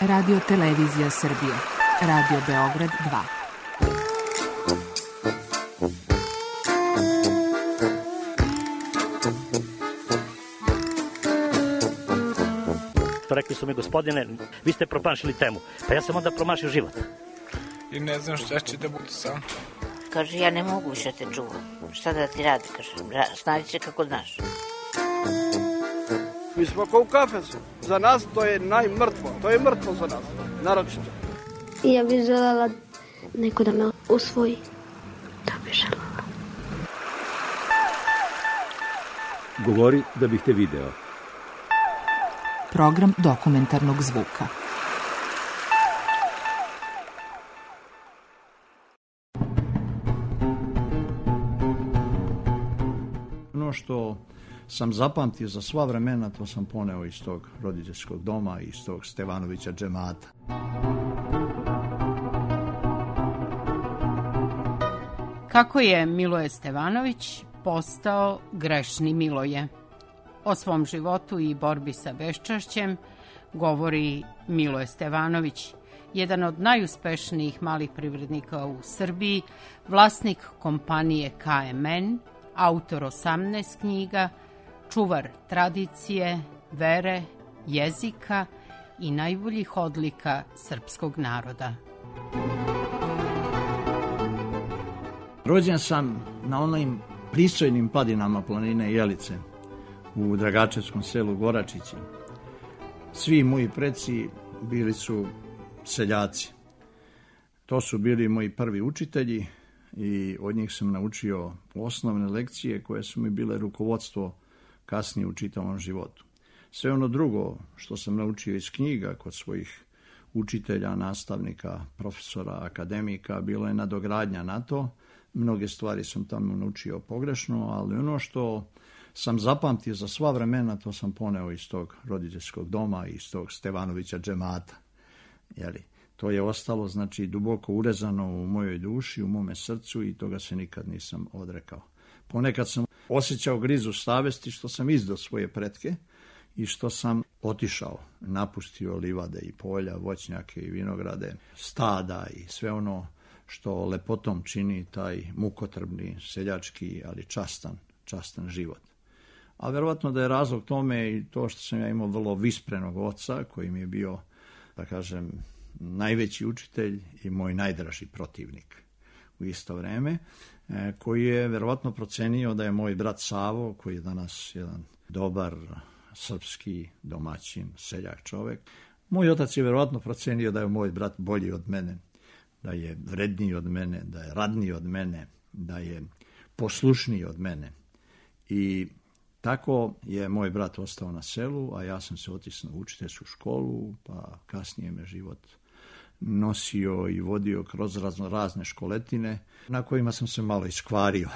Radio Televizija Srbije. Radio Beograd 2. Rekli su mi, gospodine, vi ste promašili temu. Pa ja sam onda promašio život. I ne znam šta će da bude sam. Kaže, ja ne mogu više te čuvam. Šta da ti radi, kaže, snađi se kako znaš. Mi smo kao u kafesu. Za nas to je najmrtvo. To je mrtvo za nas, naročito. Ja bih želela neko da me usvoji. To bih želela. Govori da bih te video. Program dokumentarnog zvuka. Ono što sam zapamtio za sva vremena, to sam poneo iz tog roditeljskog doma, iz tog Stevanovića džemata. Kako je Miloje Stevanović postao grešni Miloje? O svom životu i borbi sa beščašćem govori Miloje Stevanović, jedan od najuspešnijih malih privrednika u Srbiji, vlasnik kompanije KMN, autor 18 knjiga, čuvar tradicije, vere, jezika i najboljih odlika srpskog naroda. Rođen sam na onim pristojnim padinama planine Jelice, u Dragačevskom selu Goračići. Svi moji preci bili su seljaci. To su bili moji prvi učitelji i od njih sam naučio osnovne lekcije koje su mi bile rukovodstvo kasnije u čitavom životu. Sve ono drugo što sam naučio iz knjiga kod svojih učitelja, nastavnika, profesora, akademika, bilo je nadogradnja na to. Mnoge stvari sam tamo naučio pogrešno, ali ono što sam zapamtio za sva vremena, to sam poneo iz tog roditeljskog doma, iz tog Stevanovića džemata. To je ostalo, znači, duboko urezano u mojoj duši, u mome srcu i toga se nikad nisam odrekao. Ponekad sam osjećao grizu savesti što sam izdao svoje pretke i što sam otišao, napustio livade i polja, voćnjake i vinograde, stada i sve ono što lepotom čini taj mukotrpni, seljački, ali častan život. A verovatno da je razlog tome i to što sam ja imao vrlo visprenog oca, koji mi je bio, da kažem, najveći učitelj i moj najdraži protivnik u isto vreme, koji je verovatno procenio da je moj brat Savo, koji je danas jedan dobar srpski domaćin, seljak čovek, moj otac je verovatno procenio da je moj brat bolji od mene, da je vredniji od mene, da je radniji od mene, da je poslušniji od mene. I tako je moj brat ostao na selu, a ja sam se otisnuo u učiteljsku školu, pa kasnije me život nosio i vodio kroz razne školetine, na kojima sam se malo iskvario.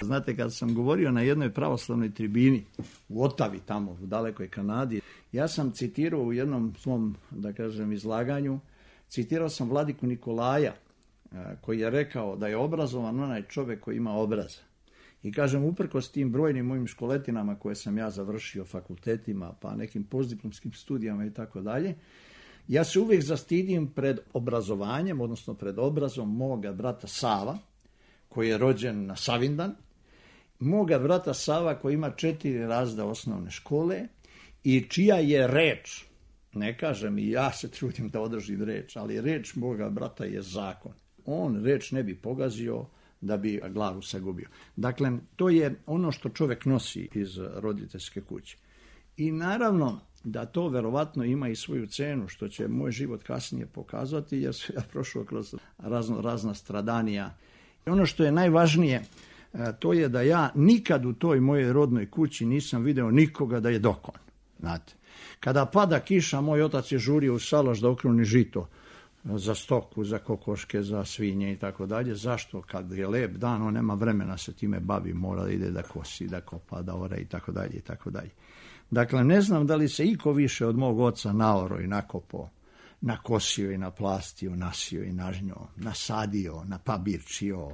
Znate, kad sam govorio na jednoj pravoslavnoj tribini u Otavi, tamo u dalekoj Kanadi, ja sam citirao u jednom svom, da kažem, izlaganju, citirao sam vladiku Nikolaja, koji je rekao da je obrazovan onaj čovjek koji ima obraz. I kažem, uprkos tim brojnim mojim školetinama koje sam ja završio, fakultetima, pa nekim postdiplomskim studijama i tako dalje, ja se uvijek zastidim pred obrazovanjem, odnosno pred obrazom moga brata Sava, koji je rođen na Savindan, moga brata Sava koji ima 4 razreda osnovne škole i čija je reč, ne kažem i ja se trudim da održim reč, ali reč moga brata je zakon. On reč ne bi pogazio da bi glavu sagubio. Dakle, to je ono što čovjek nosi iz roditeljske kuće. I naravno da to verovatno ima i svoju cenu, što će moj život kasnije pokazati, jer sam ja prošao kroz razna stradanja. I ono što je najvažnije, to je da ja nikad u toj mojoj rodnoj kući nisam video nikoga da je dokon. Znate, kada pada kiša, moj otac je žurio u salaš da okruni žito za stoku, za kokoške, za svinje i tako dalje. Zašto? Kad je lep dan, on nema vremena se time bavi, mora da ide da kosi, da kopa, da ore i tako dalje i tako dalje. Dakle, ne znam da li se iko više od mog oca naoro i nakopao, nakosio i naplastio, nasio i nažnjo, nasadio, napabirčio,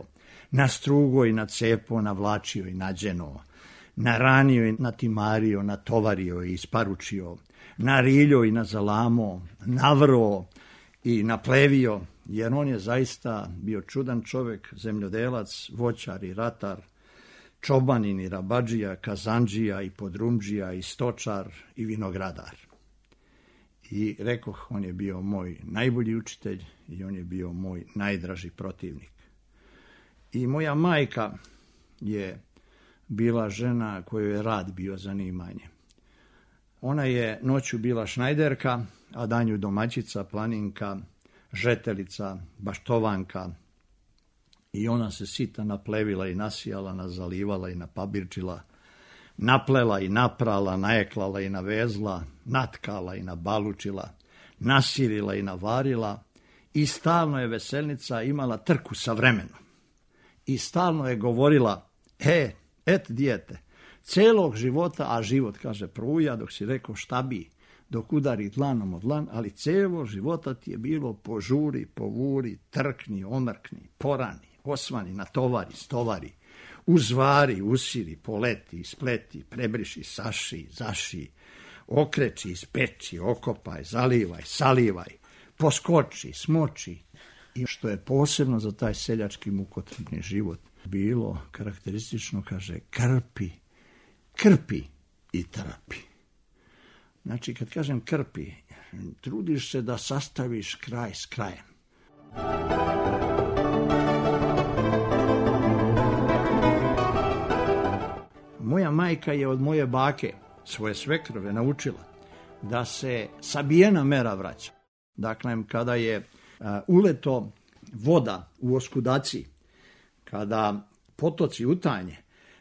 nastrugo i nacepo, navlačio i nađeno, naranio i natimario, natovario i isparučio, nariljo i nazalamo, navro i naplevio, jer on je zaista bio čudan čovjek, zemljodelac, voćar i ratar, čobanin i rabadžija, kazandžija i podrumđija i stočar i vinogradar. I rekoh, on je bio moj najbolji učitelj i on je bio moj najdraži protivnik. I moja majka je bila žena kojoj je rad bio zanimanje. Ona je noću bila šnajderka, a danju domaćica, planinka, žetelica, baštovanka. I ona se sita naplevila i nasijala, nazalivala i napabirčila, naplela i naprala, najeklala i navezla, natkala i nabalučila, nasirila i navarila i stalno je veselnica imala trku sa vremenom. I stalno je govorila, et dijete, celog života, a život, kaže, pruja, dok si rekao šta bi, dok udari dlanom od dlan, ali celog života ti je bilo požuri, povuri, trkni, omrkni, porani, osvani, natovari, stovari, uzvari, usiri, poleti, ispleti, prebriši, saši, zaši, okreći, ispeči, okopaj, zalivaj, salivaj, poskoči, smoči. I što je posebno za taj seljački mukotrpni život bilo karakteristično, kaže, krpi i trpi. Znači, kad kažem krpi, trudiš se da sastaviš kraj s krajem. Moja majka je od moje bake, svoje svekrove, naučila da se sabijena mera vraća. Dakle, kada je uleto voda u oskudaciji, kada potoci utanje,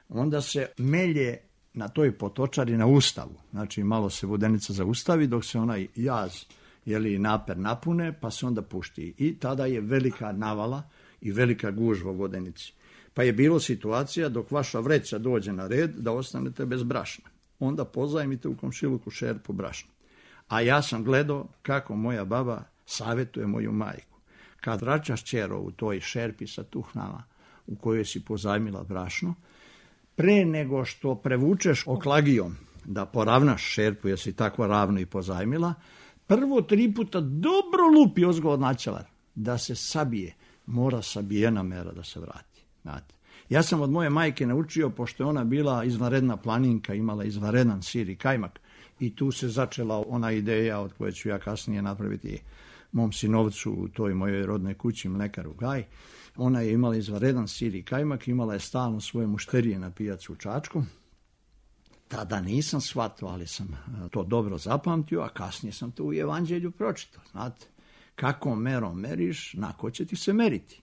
onda se melje na toj potočari na ustavu. Znači, malo se vodenica zaustavi dok se onaj jaz, naper napune, pa se onda pušti. I tada je velika navala i velika gužva u vodenici. Pa je bilo situacija dok vaša vreća dođe na red da ostanete bez brašna. Onda pozajmite u komšiluku šerpu brašna. A ja sam gledao kako moja baba savjetuje moju majku. Kad vraćaš ćero u toj šerpi sa tuhnama u kojoj si pozajmila brašno, pre nego što prevučeš oklagijom da poravnaš šerpu jer si tako ravno i pozajmila, prvo 3 puta dobro lupi ozgo od načelar da se sabije. Mora sabijena mera da se vrati. Znate. Ja sam od moje majke naučio, pošto je ona bila izvanredna planinka, imala izvanredan sir i kajmak, i tu se začela ona ideja od koje ću ja kasnije napraviti mom sinovcu u toj mojoj rodnoj kući, mlekaru Gaj. Ona je imala izvanredan sir i kajmak, imala je stalno svoje mušterije na pijacu u Čačku. Tada nisam shvatio, ali sam to dobro zapamtio, a kasnije sam to u Evanđelju pročitao. Znate, kako merom meriš, nako će ti se meriti.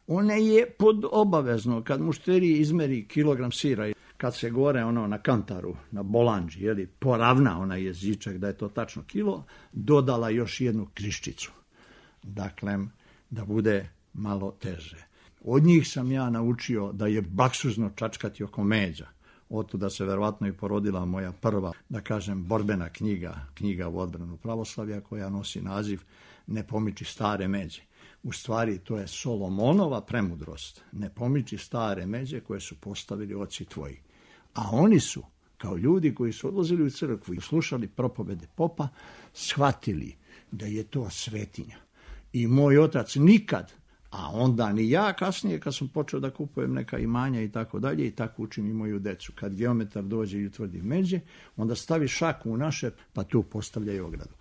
Ona je pod obavezno, kad mušteriji izmeri kilogram sira, kad se gore na kantaru, na bolanđi, poravna onaj jezičak da je to tačno kilo, dodala još jednu kriščicu. Dakle, da bude malo teže. Od njih sam ja naučio da je baksuzno čačkati oko međa. Otuda se verovatno i porodila moja prva, da kažem, borbena knjiga u odbranu pravoslavlja, koja nosi naziv Ne pomiči stare međe. U stvari, to je Solomonova premudrost. Ne pomiči stare međe koje su postavili oci tvoji. A oni su, kao ljudi koji su odlazili u crkvu i slušali propovede popa, shvatili da je to svetinja. I moj otac nikad, a onda ni ja kasnije kad sam počeo da kupujem neka imanja i tako dalje, i tako učim i moju decu. Kad geometar dođe i utvrdi međe, onda stavi šaku u naše, pa tu postavljaju ogradu.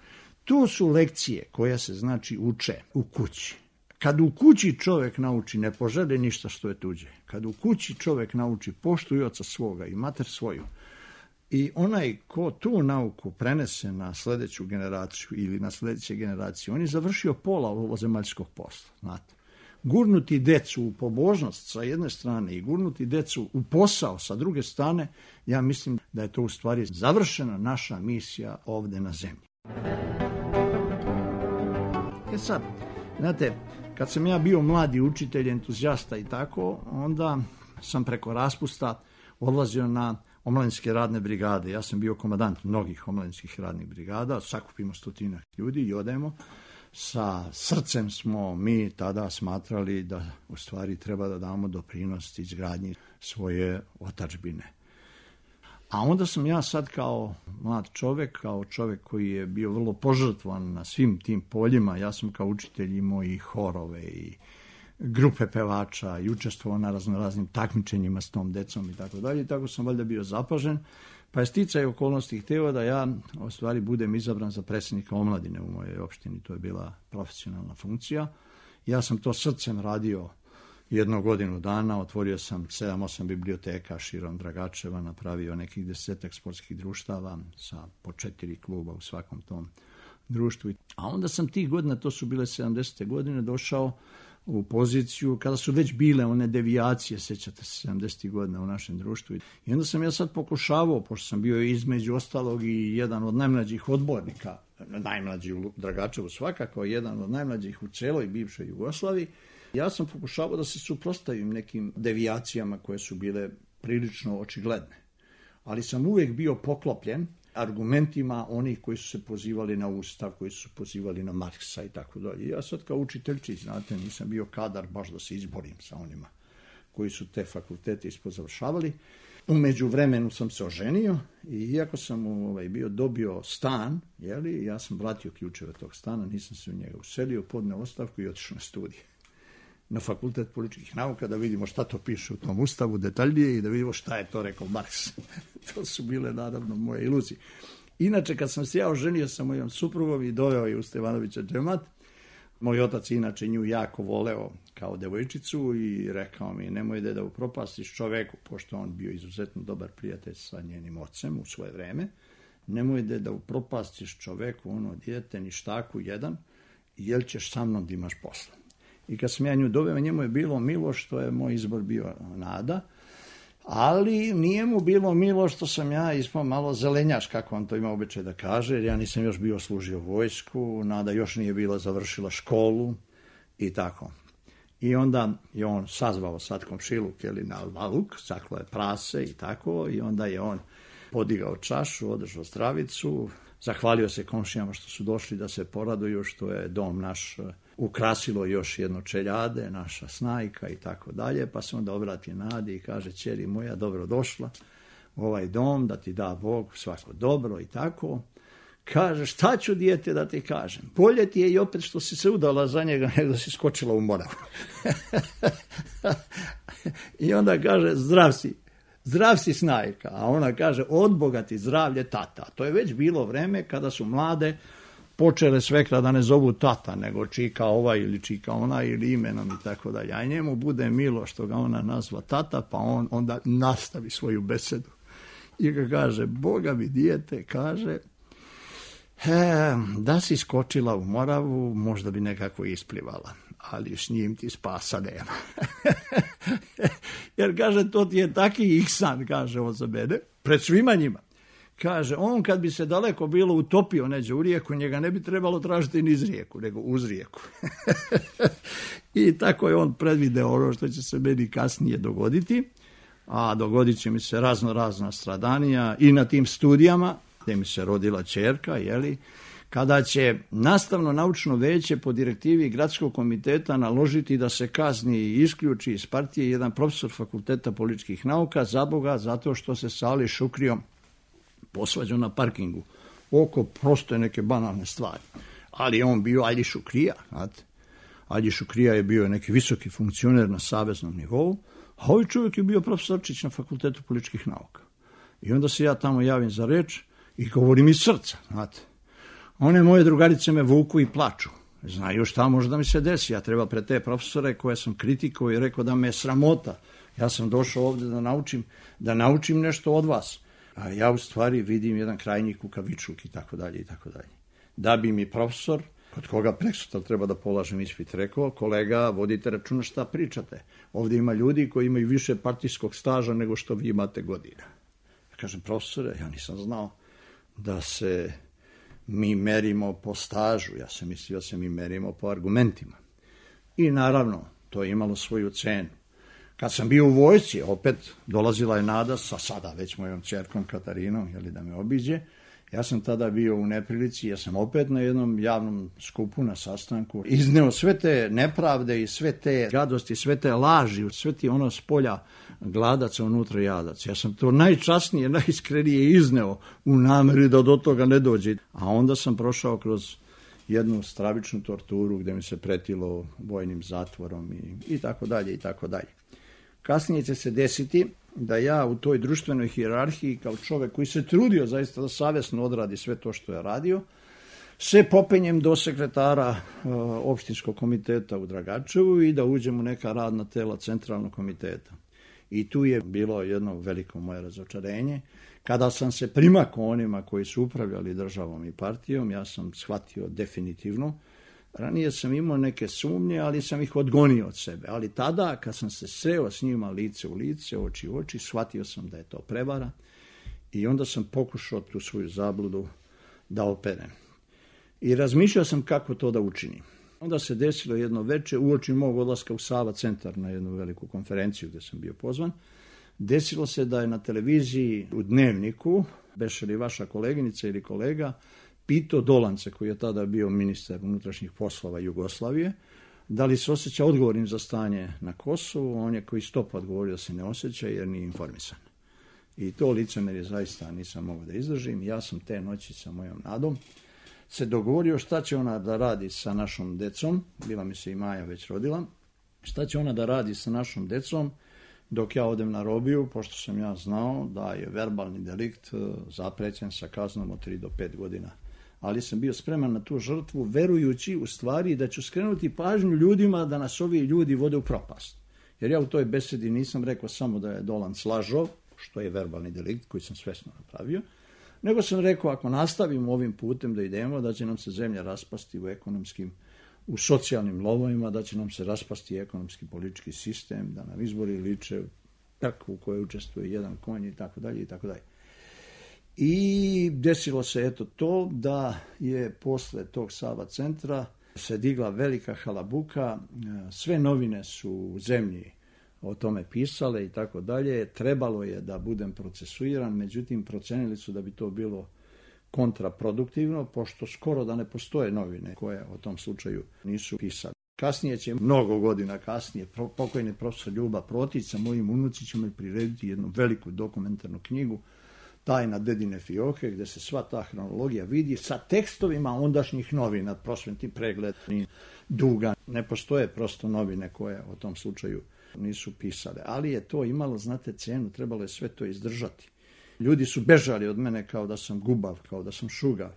To su lekcije koje se znači uče u kući. Kad u kući čovjek nauči ne poželi ništa što je tuđe, kad u kući čovjek nauči poštuj oca svoga i mater svoju, i onaj ko tu nauku prenese na sljedeću generaciju ili na sljedeće generacije, on je završio pola ovozemaljskog posla. Znate. Gurnuti decu u pobožnost sa jedne strane i gurnuti decu u posao sa druge strane, ja mislim da je to u stvari završena naša misija ovdje na zemlji. Sad, znate, kad sam ja bio mladi učitelj, entuzijasta i tako, onda sam preko raspusta odlazio na omladinske radne brigade. Ja sam bio komandant mnogih omladinskih radnih brigada, sakupimo 100 ljudi i odemo. Sa srcem smo mi tada smatrali da u stvari treba da damo doprinos izgradnji svoje otadžbine. A onda sam ja sad kao mlad čovjek, kao čovjek koji je bio vrlo požrtvovan na svim tim poljima, ja sam kao učitelj imao i horove i grupe pevača i učestvovao na raznim takmičenjima s tom decom i tako dalje. Tako sam valjda bio zapažen, pa je sticaj okolnosti htio da ja u stvari budem izabran za predsjednika omladine u mojoj opštini. To je bila profesionalna funkcija. Ja sam to srcem radio 1 godinu dana, otvorio sam 7-8 biblioteka širom Dragačeva, napravio nekih 10 sportskih društava sa po 4 kluba u svakom tom društvu. A onda sam tih godina, to su bile 70. godine, došao u poziciju kada su već bile one devijacije, sećate se, 70. godina u našem društvu. I onda sam ja sad pokušavao, pošto sam bio između ostalog i jedan od najmlađih odbornika, najmlađi u Dragačevu svakako, jedan od najmlađih u celoj bivšoj Jugoslaviji, ja sam pokušavao da se suprotstavim nekim devijacijama koje su bile prilično očigledne. Ali sam uvijek bio poklopljen argumentima onih koji su se pozivali na Ustav, koji su se pozivali na Marksa i tako dalje. Ja sad kao učiteljčić, znate, nisam bio kadar baš da se izborim sa onima koji su te fakultete ispozavršavali. U međuvremenu sam se oženio i iako sam dobio stan, ja sam vratio ključeve tog stana, nisam se u njega uselio, podneo ostavku i otišao na studije na Fakultet političkih nauka, da vidimo šta to piše u tom Ustavu detaljnije i da vidimo šta je to rekao Marks. To su bile, naravno, moje iluzije. Inače, kad sam se ja oženio sa mojom suprugom i doveo je u Stevanovića džemat, moj otac inače nju jako voleo kao devojčicu i rekao mi, nemoj da upropastiš čoveku, pošto on bio izuzetno dobar prijatelj sa njenim ocem u svoje vreme, nemoj da upropastiš čoveku, ono dijete, ništaku jedan, jer ćeš sa mnom da imaš posla. I kad sam ja nju doveo, njemu je bilo milo što je moj izbor bio Nada, ali nije mu bilo milo što sam ja ispao malo zelenjaš, kako on to ima običaj da kaže, jer ja nisam još bio služio vojsku, Nada još nije bila završila školu i tako. I onda je on sazvao sad komšiluk na albaluk, saklo je prase i tako, i onda je on podigao čašu, održao zdravicu, zahvalio se komšijama što su došli da se poraduju, što je dom naš ukrasilo još jedno čeljade, naša snajka i tako dalje, pa se onda obrati Nadi i kaže, ćeri moja, dobro došla u ovaj dom, da ti da Bog svako dobro i tako. Kaže, šta ću dijete da ti kažem? Bolje ti je i opet što si se udala za njega nego da si skočila u Moravu. I onda kaže, zdrav si snajka, a ona kaže, od Boga ti zdravlje tata. To je već bilo vreme kada su mlade počele svekra da ne zovu tata, nego čika ovaj ili čika ona ili imenom i tako dalje. A njemu bude milo što ga ona nazva tata, pa on onda nastavi svoju besedu. I ga kaže, Boga mi dijete, kaže, da si skočila u Moravu, možda bi nekako isplivala, ali s njim ti spasa nema. Jer, kaže, to ti je taki ihsan, kaže on za mene, pred svima njima. Kaže, on kad bi se daleko bilo utopio neđe u rijeku, njega ne bi trebalo tražiti niz rijeku, nego uz rijeku. I tako je on predvideo ono što će se meni kasnije dogoditi, a dogodit će mi se razna stradanija i na tim studijama, gdje mi se rodila ćerka, kada će nastavno-naučno veće po direktivi Gradskog komiteta naložiti da se kazni i isključi iz partije jedan profesor Fakulteta političkih nauka, zaboga, zato što se sa Ali Šukrijom posvađao na parkingu oko prosto neke banalne stvari. Ali je on bio Ali Šukrija, znate. Ali Šukrija je bio neki visoki funkcioner na saveznom nivou, a ovaj čovjek je bio profesorčić na Fakultetu političkih nauka. I onda se ja tamo javim za reč i govorim iz srca, znate. One moje drugarice me vuku i plaču. Znaju šta može da mi se desi. Ja treba pred te profesore koje sam kritikovao i rekao da me je sramota. Ja sam došao ovdje da naučim nešto od vas. A ja u stvari vidim jedan krajnji kukavičluk i tako dalje i tako dalje. Da bi mi profesor, kod koga preksutra treba da polažem ispit, rekao, kolega, vodite računa šta pričate. Ovdje ima ljudi koji imaju više partijskog staža nego što vi imate godina. Ja kažem, profesore, ja nisam znao da se mi merimo po stažu. Ja sam mislio da se mi merimo po argumentima. I naravno, to je imalo svoju cenu. Kad sam bio u vojsci, opet dolazila je Nada sa sada već mojom ćerkom Katarinom, da me obiđe, Ja sam tada bio u neprilici, ja sam opet na jednom javnom skupu, na sastanku, izneo sve te nepravde i sve te gadosti, sve te laži, sve ti ono s polja gladaca unutra jadaca. Ja sam to najčasnije, najiskrenije izneo u nameri da do toga ne dođe. A onda sam prošao kroz jednu stravičnu torturu gdje mi se pretilo vojnim zatvorom i tako dalje i tako dalje. Kasnije će se desiti da ja u toj društvenoj hijerarhiji kao čovjek koji se trudio zaista da savjesno odradi sve to što je radio, se popenjem do sekretara opštinskog komiteta u Dragačevu i da uđem u neka radna tela centralnog komiteta. I tu je bilo jedno veliko moje razočarenje. Kada sam se primakao onima koji su upravljali državom i partijom, ja sam shvatio definitivno. Ranije sam imao neke sumnje, ali sam ih odgonio od sebe. Ali tada, kad sam se sreo s njima lice u lice, oči u oči, shvatio sam da je to prevara i onda sam pokušao tu svoju zabludu da operem. I razmišljao sam kako to da učinim. Onda se desilo jedno veče, uoči mog odlaska u Sava centar na jednu veliku konferenciju gdje sam bio pozvan. Desilo se da je na televiziji u Dnevniku, beše li vaša koleginica ili kolega, pitao Dolance, koji je tada bio ministar unutrašnjih poslova Jugoslavije, da li se osjeća odgovornim za stanje na Kosovu. On je koji stopa odgovorio da se ne osjeća jer nije informisan. I to licemerje zaista nisam mogao da izdržim. Ja sam te noći sa mojom Nadom se dogovorio šta će ona da radi sa našom decom, bila mi se i Maja već rodila, šta će ona da radi sa našom decom dok ja odem na robiju, pošto sam ja znao da je verbalni delikt zaprećen sa kaznom od 3 do 5 godina. Ali sam bio spreman na tu žrtvu, verujući u stvari da ću skrenuti pažnju ljudima da nas ovi ljudi vode u propast. Jer ja u toj besedi nisam rekao samo da je Dolanc lažov, što je verbalni delikt koji sam svesno napravio, nego sam rekao ako nastavimo ovim putem da idemo, da će nam se zemlja raspasti u socijalnim lovovima, da će nam se raspasti ekonomski politički sistem, da nam izbori liče trku u kojoj učestvuje jedan konj i tako dalje i tako dalje. I desilo se eto to da je posle tog Sava centra se digla velika halabuka, sve novine su u zemlji o tome pisale i tako dalje. Trebalo je da budem procesuiran, međutim procenili su da bi to bilo kontraproduktivno, pošto skoro da ne postoje novine koje o tom slučaju nisu pisali. Kasnije će, mnogo godina kasnije, pokojni profesor Ljuba Protić sa mojim unucićima prirediti jednu veliku dokumentarnu knjigu Tajna dedine fioke, gdje se sva ta hronologija vidi sa tekstovima ondašnjih novina, prosvetni pregled, Duga. Ne postoje prosto novine koje o tom slučaju nisu pisale, ali je to imalo, znate, cenu, trebalo je sve to izdržati. Ljudi su bežali od mene kao da sam gubav, kao da sam šugav.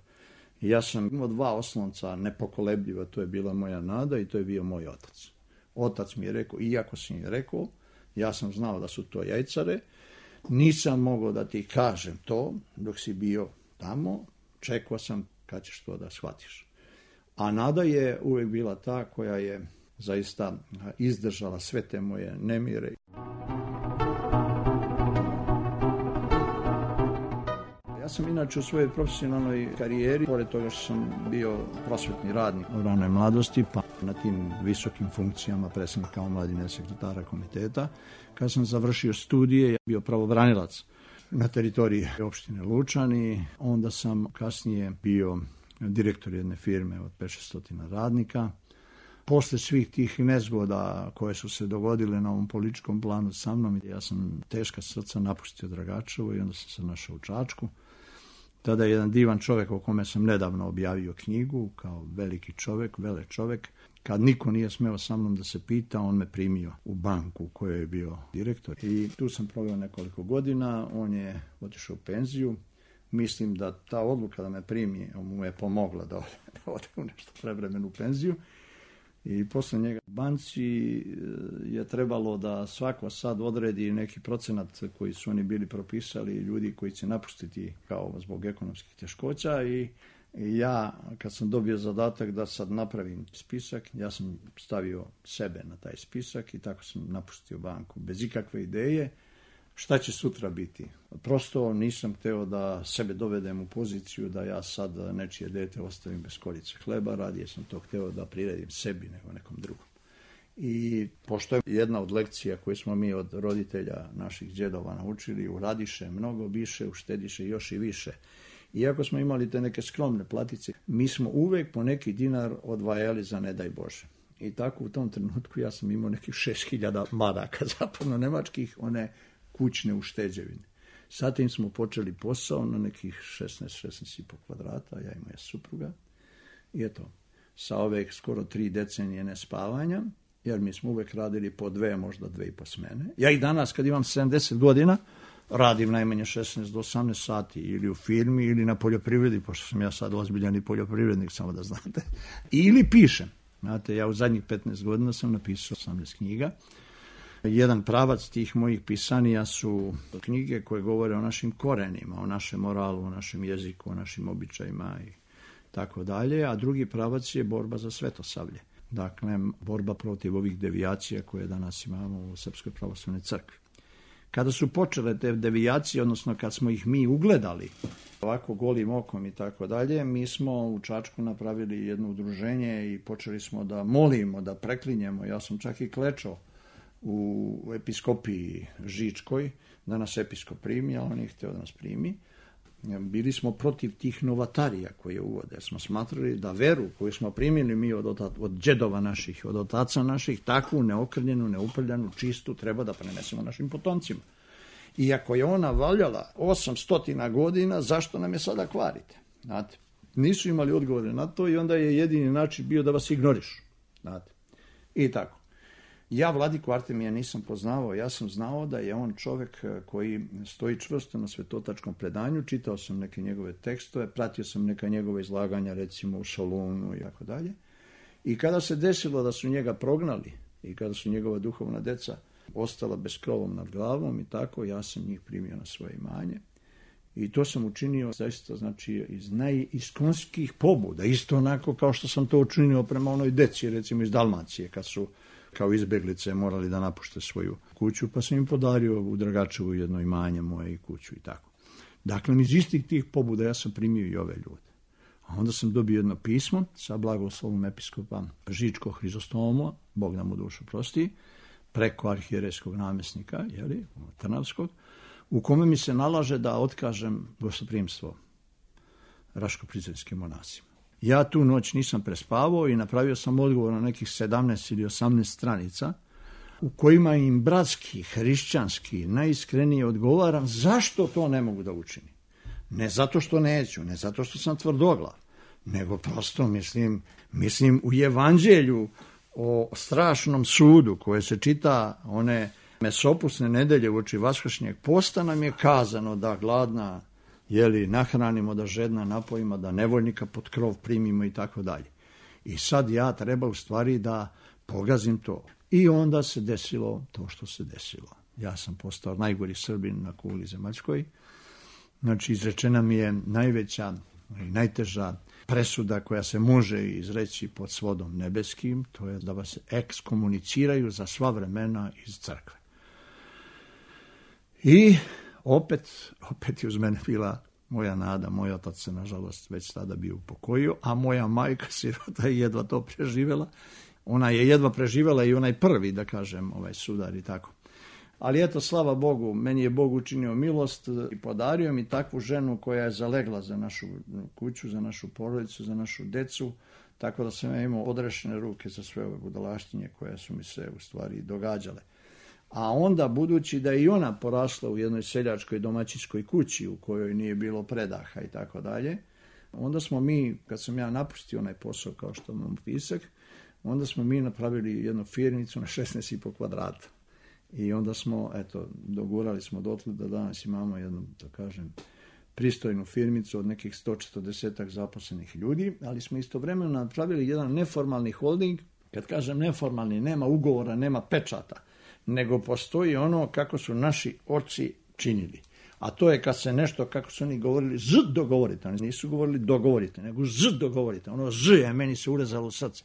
I ja sam imao 2 oslonca nepokolebljiva, to je bila moja Nada i to je bio moj otac. Otac mi je rekao, iako si mi rekao, ja sam znao da su to jajcare, nisam mogao da ti kažem to dok si bio tamo, čekao sam kad ćeš to da shvatiš. A Nada je uvijek bila ta koja je zaista izdržala sve te moje nemire. Ja sam inače u svojoj profesionalnoj karijeri, pored toga što sam bio prosvetni radnik u ranoj mladosti, pa na tim visokim funkcijama predsjednika omladine, sekretara komiteta, kad sam završio studije, ja bio pravobranilac na teritoriji opštine Lučani, onda sam kasnije bio direktor jedne firme od 500 radnika. Posle svih tih nezgoda koje su se dogodile na ovom političkom planu sa mnom, ja sam teška srca napustio Dragačevo i onda sam se našao u Čačku. Tada je jedan divan čovjek o kome sam nedavno objavio knjigu, kao veliki čovjek, vele čovjek. Kad niko nije smeo sa mnom da se pita, on me primio u banku u kojoj je bio direktor. I tu sam proveo nekoliko godina, on je otišao u penziju. Mislim da ta odluka da me primi mu je pomogla da ode u nešto prevremenu penziju. I posle njega u banci je trebalo da svako sad odredi neki procenat koji su oni bili propisali, ljudi koji će napustiti kao zbog ekonomskih teškoća. I ja kad sam dobio zadatak da sad napravim spisak, ja sam stavio sebe na taj spisak i tako sam napustio banku bez ikakve ideje šta će sutra biti. Prosto nisam hteo da sebe dovedem u poziciju da ja sad nečije dete ostavim bez korice hleba, radije sam to hteo da priredim sebi nego nekom drugom. I pošto je jedna od lekcija koje smo mi od roditelja naših djedova naučili, uradiše mnogo više, uštediše još i više. Iako smo imali te neke skromne platice, mi smo uvek po neki dinar odvajali za ne daj Bože. I tako u tom trenutku ja sam imao nekih 6.000 maraka zapadno-nemačkih, one kućne ušteđevine. Sa tim smo počeli posao na nekih 16,5 kvadrata, ja i moja supruga. I eto, sa ove skoro 3 decenije nespavanja, jer mi smo uvek radili po 2, možda 2,5 smene. Ja i danas, kad imam 70 godina, radim najmanje 16 do 18 sati ili u firmi ili na poljoprivredi, pošto sam ja sad ozbiljan i poljoprivrednik, samo da znate. Ili pišem. Znate, ja u zadnjih 15 godina sam napisao 18 knjiga. Jedan pravac tih mojih pisanija su knjige koje govore o našim korenima, o našem moralu, o našem jeziku, o našim običajima i tako dalje, a drugi pravac je borba za svetosavlje. Dakle, borba protiv ovih devijacija koje danas imamo u Srpskoj pravoslavnoj crkvi. Kada su počele te devijacije, odnosno kad smo ih mi ugledali, ovako golim okom i tako dalje, mi smo u Čačku napravili jedno udruženje i počeli smo da molimo, da preklinjemo. Ja sam čak i klečao u episkopiji Žičkoj, da nas episkop primi, a on je hteo da nas primi. Bili smo protiv tih novatarija koje uvode, jer smo smatrali da veru koju smo primili mi od džedova naših, od otaca naših, takvu neokrnjenu, neuprljanu, čistu, treba da prenesemo našim potomcima. Iako je ona valjala 800 godina, zašto nam je sada kvarite? Znate, nisu imali odgovore na to i onda je jedini način bio da vas ignorišu. Znate, i tako. Ja Vladiku Artemija nisam poznavao, ja sam znao da je on čovek koji stoji čvrsto na svetotačkom predanju, čitao sam neke njegove tekstove, pratio sam neka njegove izlaganja, recimo u Solunu i tako dalje. I kada se desilo da su njega prognali i kada su njegova duhovna deca ostala bez krovom nad glavom i tako, ja sam njih primio na svoje imanje. I to sam učinio zaista, znači, iz najiskonskih pobuda, isto onako kao što sam to učinio prema onoj deci, recimo iz Dalmacije, kad su kao izbeglice morali da napušte svoju kuću, pa sam im podario u Dragačevu jedno imanje moje i kuću i tako. Dakle, iz istih tih pobuda ja sam primio i ove ljude. A onda sam dobio jedno pismo sa blagoslovom episkopa Žičkog Hrizostoma, Bog nam u dušu prosti, preko arhijerejskog namjesnika, Trnavskog, u kome mi se nalaže da otkažem gostoprimstvo Raško-Prizrenskim monasima. Ja tu noć nisam prespavao i napravio sam odgovor na nekih 17 ili 18 stranica u kojima im bratski, hrišćanski, najiskrenije odgovaram zašto to ne mogu da učinim. Ne zato što neću, ne zato što sam tvrdoglav, nego prosto mislim u evanđelju o strašnom sudu koje se čita one mesopusne nedelje uoči vaskršnjeg posta nam je kazano da gladna nahranimo, da žedna napojimo, da nevoljnika pod krov primimo i tako dalje. I sad ja treba u stvari da pogazim to. I onda se desilo to što se desilo. Ja sam postao najgori Srbin na kugli zemaljskoj. Znači, izrečena mi je najveća i najteža presuda koja se može izreći pod svodom nebeskim, to je da vas ekskomuniciraju za sva vremena iz crkve. I opet je uz mene bila moja nada, moj otac se nažalost već tada bio upokojio, a moja majka sirota je jedva to preživjela. Ona je jedva preživjela i onaj prvi, da kažem, sudar i tako. Ali eto, slava Bogu, meni je Bog učinio milost i podario mi takvu ženu koja je zalegla za našu kuću, za našu porodicu, za našu decu, tako da sam ja imao odrešene ruke za sve ove budalaštinje koje su mi se u stvari događale. A onda, budući da je i ona porasla u jednoj seljačkoj domaćinskoj kući u kojoj nije bilo predaha i tako dalje, onda smo mi, kad sam ja napustio onaj posao kao što imam pisak, onda smo mi napravili jednu firmicu na 16,5 kvadrata. I onda smo, dogurali smo dotle da danas imamo jednu, da kažem, pristojnu firmicu od nekih 140 zaposlenih ljudi, ali smo istovremeno napravili jedan neformalni holding. Kad kažem neformalni, nema ugovora, nema pečata, nego postoji ono kako su naši oci činili. A to je kad se nešto, kako su oni govorili, dogovorite. Oni nisu govorili dogovorite, nego dogovorite. Ono je meni se urezalo u srce.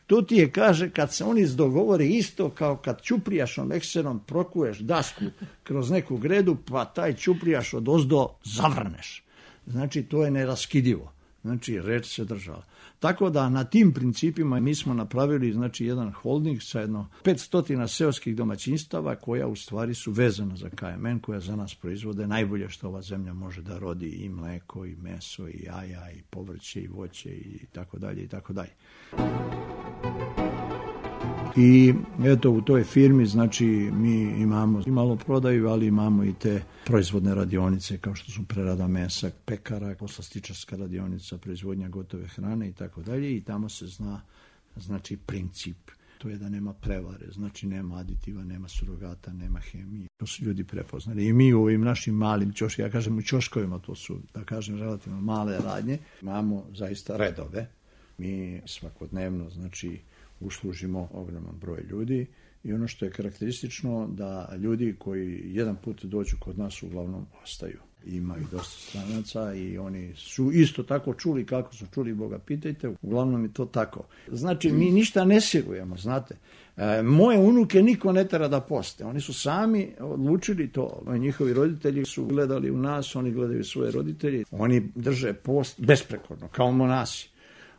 To ti je, kaže, kad se oni dogovore isto kao kad ćuprijašom ekserom prokuješ dasku kroz neku gredu, pa taj ćuprijaš od ozdo zavrneš. Znači, to je neraskidivo. Znači, reč se držala. Tako da na tim principima mi smo napravili znači jedan holding sa jedno 500 seoskih domaćinstava koja u stvari su vezana za KMN, koja za nas proizvode najbolje što ova zemlja može da rodi, i mleko, i meso, i jaja, i povrće, i voće, i tako dalje, i tako dalje. I eto, u toj firmi, znači, mi imamo i malo prodaju, ali imamo i te proizvodne radionice, kao što su prerada mesa, pekara, poslastičarska radionica, proizvodnja gotove hrane i tako dalje, i tamo se zna, znači, princip. To je da nema prevare, znači nema aditiva, nema surogata, nema hemije. To su ljudi prepoznali. I mi u ovim našim malim ćoškovima, ja kažem u ćoškovima, to su, da kažem, relativno male radnje, imamo zaista redove. Mi svakodnevno, znači, uslužimo ogroman broj ljudi, i ono što je karakteristično da ljudi koji jedan put dođu kod nas uglavnom ostaju. Ima i dosta stranaca i oni su isto tako čuli kako su čuli, Boga pitajte, uglavnom je to tako. Znači, mi ništa ne sigujemo, znate. Moje unuke niko ne tera da poste, oni su sami odlučili to. Njihovi roditelji su gledali u nas, oni gledaju svoje roditelje, oni drže post besprekorno, kao monasi.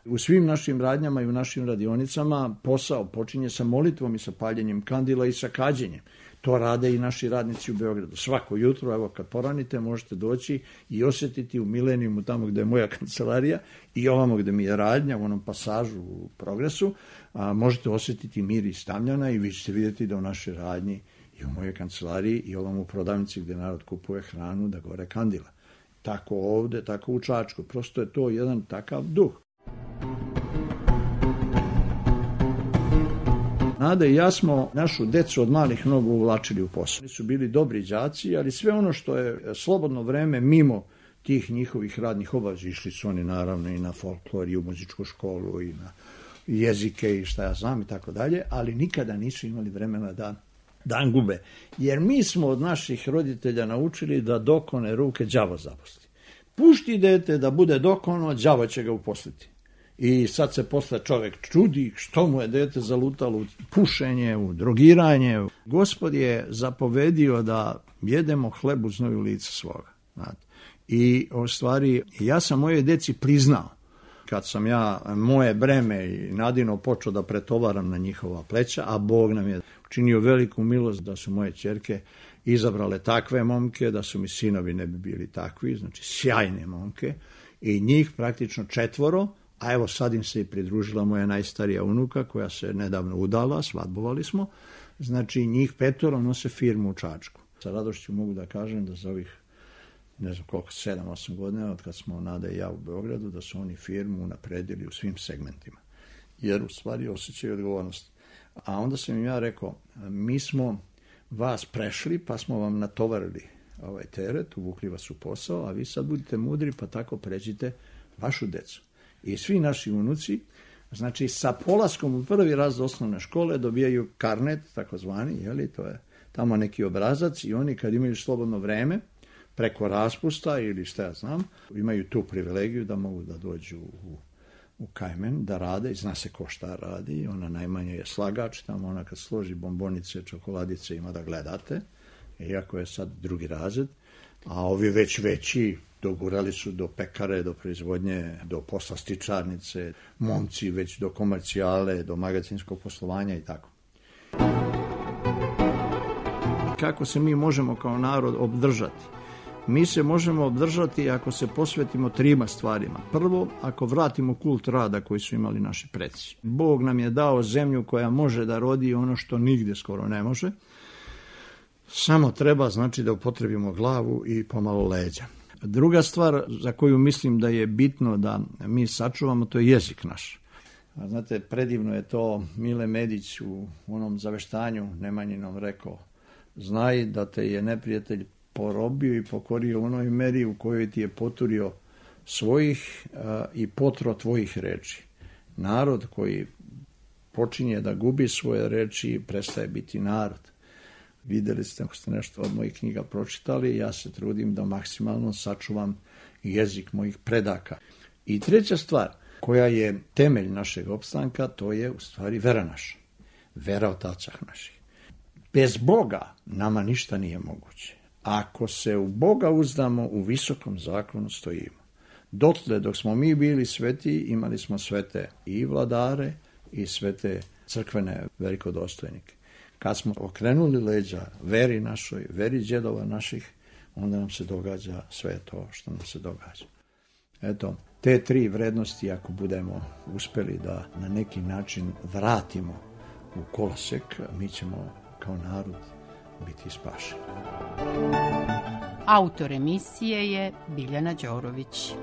U svim našim radnjama i u našim radionicama posao počinje sa molitvom i sa paljenjem kandila i sa kađenjem. To rade i naši radnici u Beogradu. Svako jutro, evo kad poranite, možete doći i osjetiti u Milenijumu, tamo gde je moja kancelarija, i ovamo gde mi je radnja, u onom pasažu u Progresu, možete osjetiti miris tamljana, i vi ćete vidjeti da u našoj radnji i u mojoj kancelariji i ovamo u prodavnici gde narod kupuje hranu, da gore kandila. Tako ovde, tako u Čačku. Prosto je to jedan takav duh. Nada i ja smo našu decu od malih nogu uvlačili u posao. Oni su bili dobri đaci, ali sve ono što je slobodno vreme mimo tih njihovih radnih obaveza, išli su oni naravno i na folklor, i u muzičku školu, i na jezike, i šta ja znam, i tako dalje, ali nikada nisu imali vremena da gube. Jer mi smo od naših roditelja naučili da dokone ruke đavo zaposli. Pušti dete da bude dokono, đavo će ga uposliti. I sad se posle čovek čudi što mu je dete zalutalo u pušenje, u drogiranje. Gospod je zapovedio da jedemo hleb u znoju lica svoga. Znate. I u stvari, ja sam moje deci priznao, kad sam ja moje breme i Nadino počeo da pretovaram na njihova pleća, a Bog nam je učinio veliku milost da su moje ćerke izabrale takve momke, da su mi sinovi ne bi bili takvi, znači sjajne momke, i njih praktično 4, a evo sad im se i pridružila moja najstarija unuka koja se nedavno udala, svadbovali smo, znači njih 5 nose firmu u Čačku. Sa radošću mogu da kažem da za ovih, ne znam koliko, 7-8 godina, od kad smo Nada i ja u Beogradu, da su oni firmu unapredili u svim segmentima, jer u stvari osjećaju odgovornost. A onda sam im ja rekao, mi smo vas prešli, pa smo vam natovarili ovaj teret, uvukli vas u posao, a vi sad budite mudri, pa tako pređite vašu decu. I svi naši unuci, znači sa polaskom u prvi razred osnovne škole dobijaju karnet, takozvani, jeli, to je tamo neki obrazac, i oni kad imaju slobodno vreme, preko raspusta ili šta ja znam, imaju tu privilegiju da mogu da dođu u KMN, da rade, i zna se ko šta radi, ona najmanje je slagač, tamo ona kad složi bombonice, čokoladice ima da gledate, iako je sad drugi razred, a ovi već veći dogurali su do pekare, do proizvodnje, do poslastičarnice, momci već do komercijale, do magacinskog poslovanja i tako. Kako se mi možemo kao narod obdržati? Mi se možemo obdržati ako se posvetimo 3 stvarima. Prvo, ako vratimo kult rada koji su imali naši preci. Bog nam je dao zemlju koja može da rodi ono što nigde skoro ne može. Samo treba, znači, da upotrebimo glavu i pomalo leđa. Druga stvar za koju mislim da je bitno da mi sačuvamo, to je jezik naš. Znate, predivno je to, Mile Medić u onom zaveštanju Nemanjinom rekao, znaj da te je neprijatelj porobio i pokorio u onoj meri u kojoj ti je poturio svojih i potro tvojih reči. Narod koji počinje da gubi svoje reči prestaje biti narod. Videli ste, ako ste nešto od mojih knjiga pročitali, ja se trudim da maksimalno sačuvam jezik mojih predaka. I treća stvar, koja je temelj našeg opstanka, to je u stvari vera naša. Vera otaca naših. Bez Boga nama ništa nije moguće. Ako se u Boga uzdamo, u visokom zakonu stojimo. Dotle, dok smo mi bili sveti, imali smo svete i vladare i svete crkvene velikodostojnike. Kad smo okrenuli leđa veri našoj, veri djedova naših, onda nam se događa sve to što nam se događa. Eto, te tri vrednosti, ako budemo uspeli da na neki način vratimo u kolosek, mi ćemo kao narod biti spašeni. Autor emisije je Biljana Đorović.